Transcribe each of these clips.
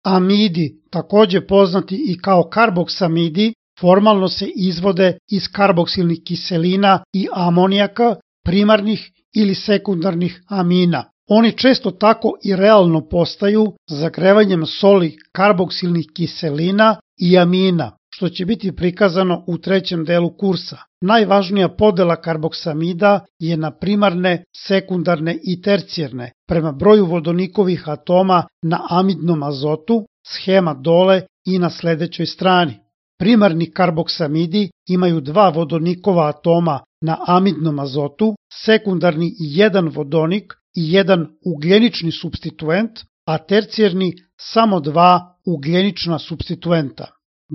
Amidi, takođe poznati i kao karboksamidi, formalno se izvode iz karboksilnih kiselina i amonijaka, primarnih ili sekundarnih amina. Oni često tako i realno postaju zagrevanjem soli karboksilnih kiselina i amina, što će biti prikazano u trećem delu kursa. Najvažnija podela karboksamida je na primarne, sekundarne i tercijarne, prema broju vodonikovih atoma na amidnom azotu, schema dole i na sledećoj strani. Primarni karboksamidi imaju 2 vodonikova atoma na amidnom azotu, sekundarni 1 vodonik i 1 ugljenični supstituent, a tercijarni samo 2 ugljenična supstituenta.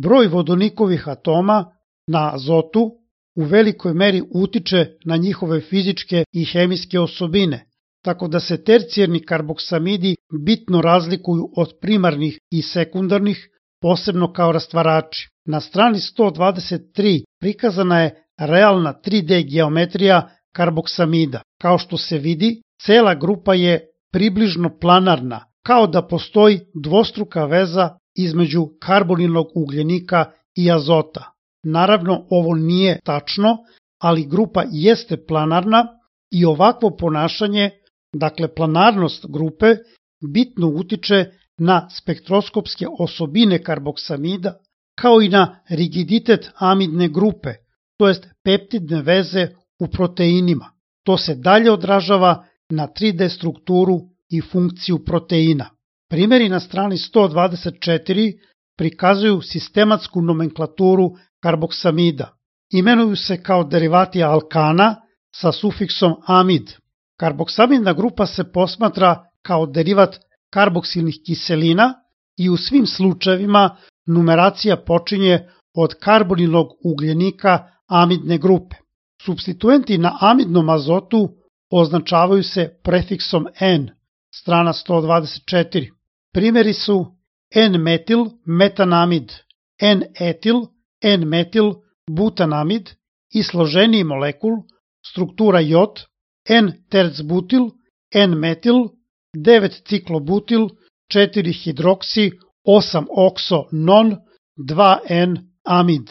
Broj vodonikovih atoma na azotu u velikoj meri utiče na njihove fizičke i hemijske osobine, tako da se tercijarni karboksamidi bitno razlikuju od primarnih i sekundarnih, posebno kao rastvarači. Na strani 123 prikazana je realna 3D geometrija karboksamida. Kao što se vidi, cela grupa je približno planarna, kao da postoji dvostruka veza između karbonilnog ugljenika i azota. Naravno, ovo nije tačno, ali grupa jeste planarna i ovakvo ponašanje, dakle planarnost grupe, bitno utiče na spektroskopske osobine karboksamida, kao i na rigiditet amidne grupe, to jest peptidne veze u proteinima. To se dalje odražava na 3D strukturu i funkciju proteina. Primjeri na strani 124 prikazuju sistematsku nomenklaturu karboksamida. Imenuju se kao derivati alkana sa sufiksom amid. Karboksamidna grupa se posmatra kao derivat karboksilnih kiselina i u svim slučajevima numeracija počinje od karbonilnog ugljenika amidne grupe. Supstituenti na amidnom azotu označavaju se prefiksom N, strana 124. Primjeri su N-metil metanamid, N-etil, N-metil butanamid i složeniji molekul, struktura J, N-tercbutil, N-metil, 9-ciklobutil, 4-hidroksi, 8-okso-non, 2N-amid.